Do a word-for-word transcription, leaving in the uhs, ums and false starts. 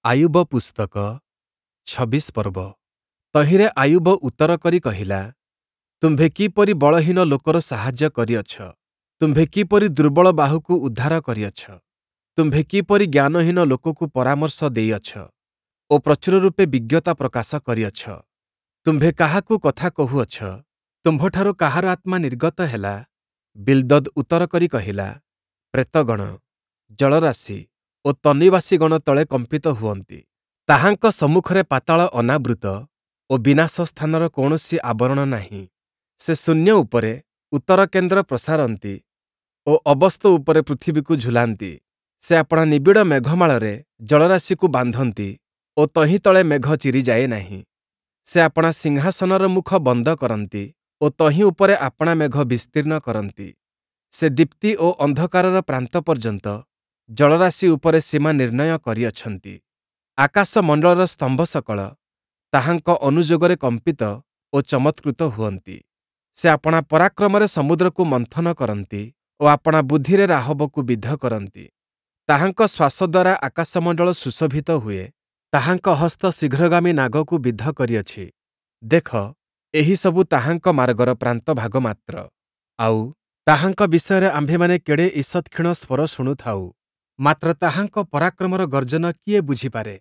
ଆୟୁବ ପୁସ୍ତକ ଛବିଶ ପର୍ବ। ତହିଁରେ ଆୟୁବ ଉତ୍ତର କରି କହିଲା, ତୁମ୍ଭେ କିପରି ବଳହୀନ ଲୋକର ସାହାଯ୍ୟ କରିଅଛ! ତୁମ୍ଭେ କିପରି ଦୁର୍ବଳ ବାହୁକୁ ଉଦ୍ଧାର କରିଅଛ! ତୁମ୍ଭେ କିପରି ଜ୍ଞାନହୀନ ଲୋକକୁ ପରାମର୍ଶ ଦେଇଅଛ ଓ ପ୍ରଚୁର ରୂପେ ବିଜ୍ଞତା ପ୍ରକାଶ କରିଅଛ! ତୁମ୍ଭେ କାହାକୁ କଥା କହୁଅଛ? ତୁମ୍ଭଠାରୁ କାହାର ଆତ୍ମା ନିର୍ଗତ ହେଲା? ବିଲ୍‌ଦଦ୍ ଉତ୍ତର କରି କହିଲା, ପ୍ରେତଗଣ, ଜଳରାଶି ଓ ତନ୍ନିବାସୀଗଣ ତଳେ କମ୍ପିତ ହୁଅନ୍ତି। ତାହାଙ୍କ ସମ୍ମୁଖରେ ପାତାଳ ଅନାବୃତ ଓ ବିନାଶ ସ୍ଥାନର କୌଣସି ଆବରଣ ନାହିଁ। ସେ ଶୂନ୍ୟ ଉପରେ ଉତ୍ତରକେନ୍ଦ୍ର ପ୍ରସାରନ୍ତି ଓ ଅବସ୍ତୁ ଉପରେ ପୃଥିବୀକୁ ଝୁଲାନ୍ତି। ସେ ଆପଣା ନିବିଡ଼ ମେଘମାଳରେ ଜଳରାଶିକୁ ବାନ୍ଧନ୍ତି ଓ ତହିଁ ତଳେ ମେଘ ଚିରିଯାଏ ନାହିଁ। ସେ ଆପଣା ସିଂହାସନର ମୁଖ ବନ୍ଦ କରନ୍ତି ଓ ତହିଁ ଉପରେ ଆପଣା ମେଘ ବିସ୍ତୀର୍ଣ୍ଣ କରନ୍ତି। ସେ ଦୀପ୍ତି ଓ ଅନ୍ଧକାରର ପ୍ରାନ୍ତ ପର୍ଯ୍ୟନ୍ତ ଜଳରାଶି ଉପରେ ସୀମା ନିର୍ଣ୍ଣୟ କରିଅଛନ୍ତି। ଆକାଶମଣ୍ଡଳର ସ୍ତମ୍ଭ ସକଳ ତାହାଙ୍କ ଅନୁଯୋଗରେ କମ୍ପିତ ଓ ଚମତ୍କୃତ ହୁଅନ୍ତି। ସେ ଆପଣା ପରାକ୍ରମରେ ସମୁଦ୍ରକୁ ମନ୍ଥନ କରନ୍ତି ଓ ଆପଣା ବୁଦ୍ଧିରେ ରାହବକୁ ବିଦ୍ଧ କରନ୍ତି। ତାହାଙ୍କ ଶ୍ୱାସ ଦ୍ୱାରା ଆକାଶମଣ୍ଡଳ ସୁଶୋଭିତ ହୁଏ, ତାହାଙ୍କ ହସ୍ତ ଶୀଘ୍ରଗାମୀ ନାଗକୁ ବିଦ୍ଧ କରିଅଛି। ଦେଖ, ଏହିସବୁ ତାହାଙ୍କ ମାର୍ଗର ପ୍ରାନ୍ତଭାଗ ମାତ୍ର, ଆଉ ତାହାଙ୍କ ବିଷୟରେ ଆମ୍ଭେମାନେ କେଡ଼େ ଈଷତ୍ କ୍ଷୀଣ ସ୍ୱର ଶୁଣୁଥାଉ! ମାତ୍ର ତାହାଙ୍କ ପରାକ୍ରମର ଗର୍ଜନ କିଏ ବୁଝିପାରେ?